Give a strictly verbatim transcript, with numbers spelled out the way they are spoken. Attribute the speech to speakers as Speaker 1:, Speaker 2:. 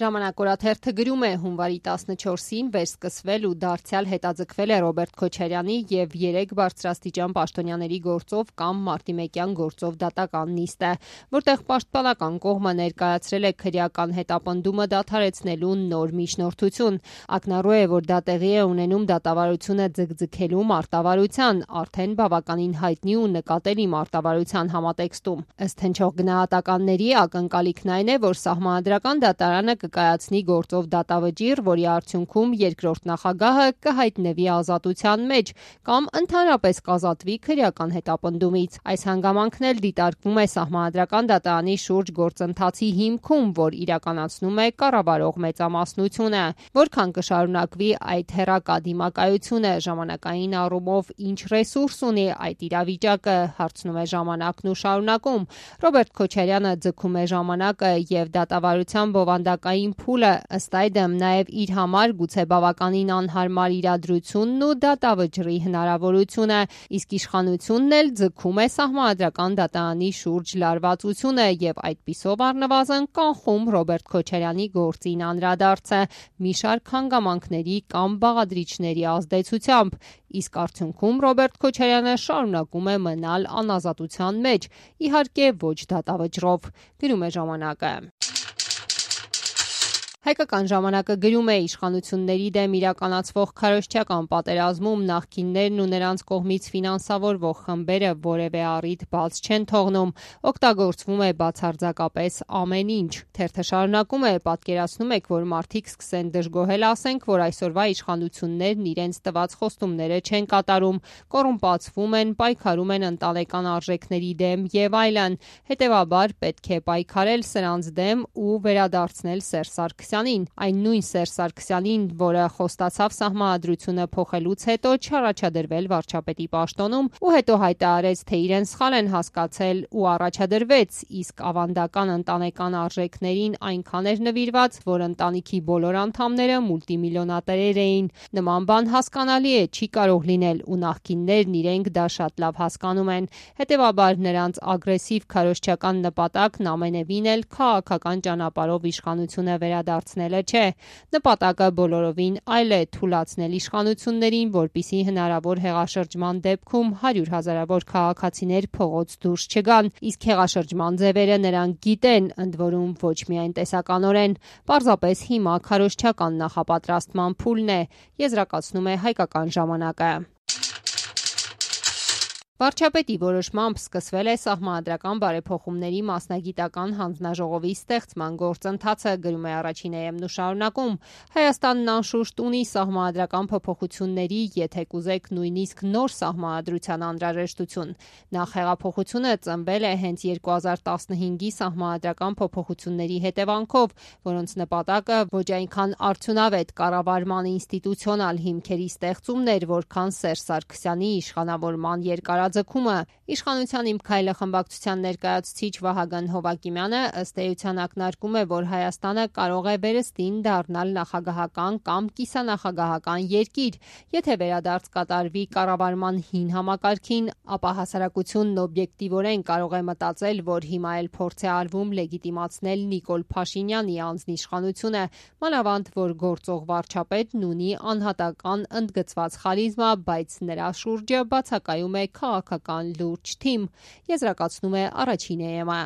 Speaker 1: Ժամանակ օրաթերթը գրում է հունվարի տասնչորսին վերսկսվել ու դարձյալ հետաձգվել է Ռոբերտ Քոչարյանի և երեք բարձրաստիճան պաշտոնյաների գործով կամ մարտիմեկյան գործով դատական նիստը, որտեղ պաշտպանական կողմը ներկայացրել է քրեական հետապնդումը դադարեցնելու նոր միջնորդություն։ Ակնառու է, որ դա տեղի է ունենում դատավարությունը ձգձգելու մարտավարության, արդեն բավականին հայտնի ու նկատելի մարտավարության համատեքստում։ Ըստ հնչող գնահատականների ակնկալիքն այն է, որ Սահմանադրական դատարանը կկայացնի գործով դատավճիռ, որի արդյունքում երկրորդ նախագահը կհայտնվի ազատության մեջ կամ ընդհանրապես կազատվի քրեական հետապնդումից։ Այս հանգամանքն էլ դիտարկվում է Սահմանադրական դատարանի շուրջ գործընթացի հիմքում, որ իրականացնում է կառավարող մեծամասնությունը։ Որքան կշարունակվի այդ հեռակա դիմակայությունը, ժամանակային առումով ինչ ռեսուրս ունի այդ իրավիճակը, հարցնում է Ժամանակն ու շարունակում։ Ռոբերտ Քոչարյանը ձգում է ժամանակը և դատավարության բովանդակային փուլը, ըստ այդմ նաև իր համար գուցե բավականին անհարմար իրադրությունն ու դատավճռի հնարավորությունը, իսկ իշխանությունն էլ ձգում է Սահմանադրական դատարանի շուրջ լարվածությունը և այդպիսով առնվազն կանխում Ռոբերտ Քոչարյանի գործին անդրադարձը մի շարք հանգամանքների կամ բաղադրիչների ազդեցությամբ, իսկ արդյունքում Ռոբերտ Քոչարյանը շարունակում է մնալ անազատության մեջ, իհարկե ոչ դատավճռով, գրում է Ժամանակը։ Հայկական ժամանակը գրում է իշխանությունների դեմ իրականացվող քարոզչական պատերազմում նախկիններն ու նրանց կողմից ֆինանսավորվող խմբերը որևէ առիթ բաց չեն թողնում, օգտագործվում է բացարձակապես ամեն ինչ։ Թերթը շարունակում է, պատկերացնում եք, որ մարդիկ սկսեն դժգոհել, ասենք, որ այսօրվա իշխանություններն իրենց տված խոստումները չեն կատարում, կոռումպացվում են, պայքարում են ընտանեկան արժեքների դեմ եւ այլն։ Հետևաբար պետք է պայքարել սրանց դեմ ու վերադարձնել Սերժ Սարգսյանին, այն նույն Սերժ Սարգսյանին, որը խոստացավ Սահմանադրությունը փոխելուց հետո չառաջադրվել վարչապետի պաշտոնում ու հետո հայտարարեց, թե իրեն սխալ են հասկացել ու առաջադրվեց, իսկ ավանդական ընտանեկան արժեքներին այնքան էր նվիրված, որ ընտանիքի բոլոր անդամները մուլտիմիլիոնատերեր էին։ Նման բան հասկանալի է, չի կարող լինել ու նախկիններն իրենք դա շատ լավ հասկանում են։ Հետևաբար նրանց ագրեսիվ քարոզչական նպատակն ամենևին էլ քաղաքական ճանապարհով իշխանությունը վերադարձնելը չէ։ Նպատակը բոլորովին այլ է՝ թուլացնել իշխանություններին, որպեսզի հնարավոր հեղաշրջման դեպքում հարյուր հազարավոր քաղաքացիներ փողոց դուրս չգան, իսկ հեղաշրջման ձևերը նրանք գիտեն, ընդ որում ոչ միայն տեսականորեն։ Պարզապես հիմա քարոզչական նախապատրաստման փուլն է, եզրակացնում է Հայկական ժամանակը։ Վարչապետի որոշմամբ սկսվել է Սահմանադրական բարեփոխումների մասնագիտական հանձնաժողովի ստեղծման գործընթացը, գրում է Առաջին Է Էմ-ն ու շարունակում։ Հայաստանն անշուշտ ունի սահմանադրական փոփոխությունների, եթե կուզեք նույնիսկ նոր սահմանադրության անհրաժեշտություն։ Նախ հեղափոխությունը ծնվել է հենց երկու հազար տասնհինգի սահմանադրական փոփոխությունների հետևանքով, որոնց նպատակը ոչ այնքան արդյունավետ կառավարման ինստիտուցիոնալ հիմքերի ստեղծումն էր, որքան Սերժ Սարգսյանի իշխանավորման երկարաձգումը։ Իշխանության Իմ քայլը խմբակցության ներկայացուցիչ Վահագն Հովակիմյանը ըստ էության ակնարկում է, որ Հայաստանը կարող է վերստին դառնալ նախագահական կամ կիսանախագահական երկիր, եթե վերադարձ կատարվի կառավարման հին համակարգին, ապա հասարակությունն օբյեկտիվորեն կարող է մտածել, որ հիմա էլ փորձ է արվում լեգիտիմացնել Նիկոլ Փաշինյանի անձնիշխանությունը, մանավանդ որ գործող վարչապետն ունի անհատական ընդգծված խարիզմա, բայց նրա շուրջը բացակայում է քաղաքական լուրջ թիմ, եզրակացնում է Առաջին Է Էմ-ը։